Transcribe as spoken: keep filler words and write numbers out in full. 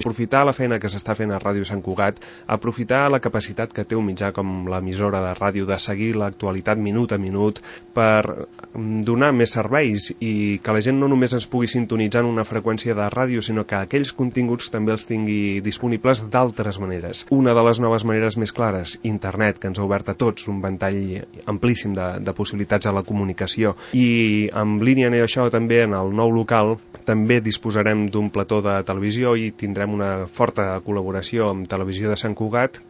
aprofitar la feina que s'està fent a Ràdio Sant Cugat, aprofitar la capacitat que té un mitjà com l'emissora de ràdio de seguir l'actualitat minut a minut per donar més serveis i que la gent no només ens pugui sintonitzar en una freqüència de ràdio, sinó que aquells continguts també els tingui disponibles d'altres maneres. Una de les noves maneres més clares, internet, que ens ha obert a tots un ventall amplíssim de, de possibilitats a la comunicació. I en línia amb això també en el nou local també disposarem d'un plató de televisió i tindrem una forta col·laboració amb Televisió de Sant Cugat